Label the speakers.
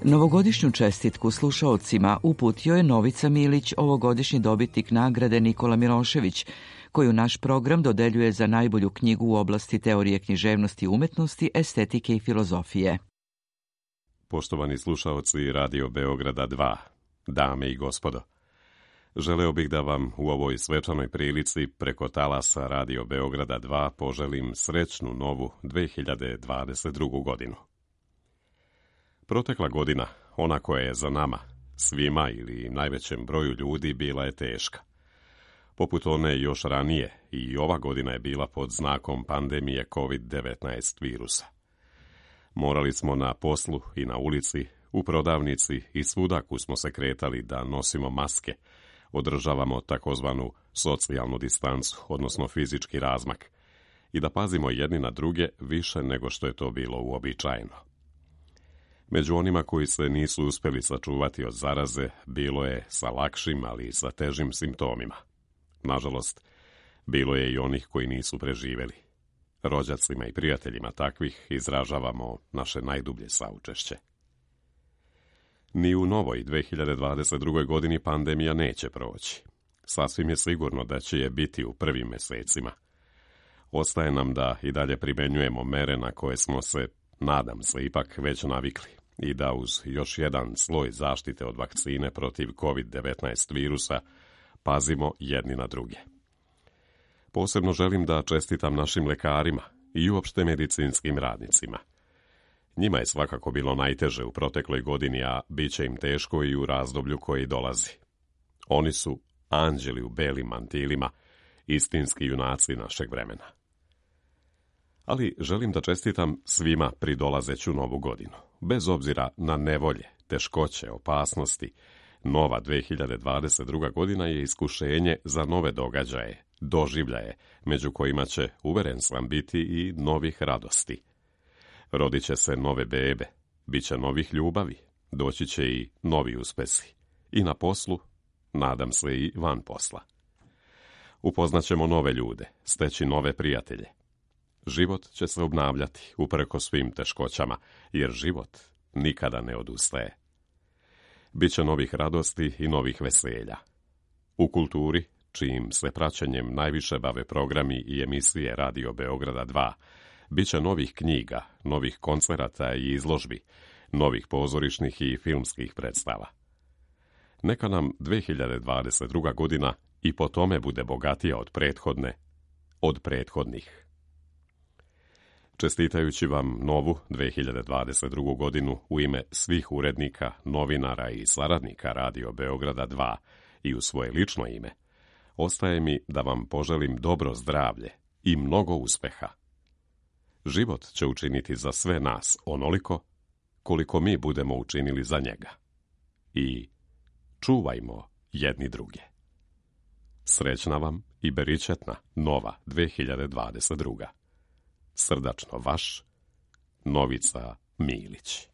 Speaker 1: Novogodišnju čestitku slušaocima uputio je Novica Milić, ovogodišnji dobitnik nagrade Nikola Milošević, koju naš program dodeljuje za najbolju knjigu u oblasti teorije književnosti i umetnosti, estetike i filozofije.
Speaker 2: Poštovani slušaoci Radio Beograda 2, dame i gospodo, želeo bih da vam u ovoj svečanoj prilici preko talasa Radio Beograda 2 poželim srećnu novu 2022. godinu. Protekla godina, ona koja je za nama, svima ili najvećem broju ljudi, bila je teška. Poput one još ranije, i ova godina je bila pod znakom pandemije COVID-19 virusa. Morali smo na poslu i na ulici, u prodavnici i svudaku smo se kretali da nosimo maske, održavamo takozvanu socijalnu distancu, odnosno fizički razmak, i da pazimo jedni na druge više nego što je to bilo uobičajeno. Među onima koji se nisu uspjeli sačuvati od zaraze, bilo je sa lakšim, ali i sa težim simptomima. Nažalost, bilo je i onih koji nisu preživjeli. Rođacima i prijateljima takvih izražavamo naše najdublje saučešće. Ni u novoj 2022. godini pandemija neće proći. Sasvim je sigurno da će je biti u prvim mjesecima. Ostaje nam da i dalje primjenjujemo mere na koje smo se, nadam se, ipak već navikli i da uz još jedan sloj zaštite od vakcine protiv COVID-19 virusa pazimo jedni na druge. Posebno želim da čestitam našim lekarima i uopšte medicinskim radnicima. Njima je svakako bilo najteže u protekloj godini, a bit će im teško i u razdoblju koji dolazi. Oni su anđeli u belim mantilima, istinski junaci našeg vremena. Ali želim da čestitam svima pridolazeću novu godinu. Bez obzira na nevolje, teškoće, opasnosti, nova 2022. godina je iskušenje za nove događaje, doživljaje, među kojima će, uveren sam, biti i novih radosti. Rodit će se nove bebe, bit će novih ljubavi, doći će i novi uspesi. I na poslu, nadam se i van posla. Upoznaćemo nove ljude, steći nove prijatelje. Život će se obnavljati upreko svim teškoćama, jer život nikada ne odustaje. Biće novih radosti i novih veselja. U kulturi, čijim se praćenjem najviše bave programi i emisije Radio Beograda 2, biće novih knjiga, novih koncerata i izložbi, novih pozorišnih i filmskih predstava. Neka nam 2022. godina i po tome bude bogatija od prethodnih. Čestitajući vam novu 2022. godinu u ime svih urednika, novinara i saradnika Radio Beograda 2 i u svoje lično ime, ostaje mi da vam poželim dobro zdravlje i mnogo uspeha. Život će učiniti za sve nas onoliko koliko mi budemo učinili za njega. I čuvajmo jedni druge. Srećna vam i beričetna nova 2022. Srdačno vaš, Novica Milić.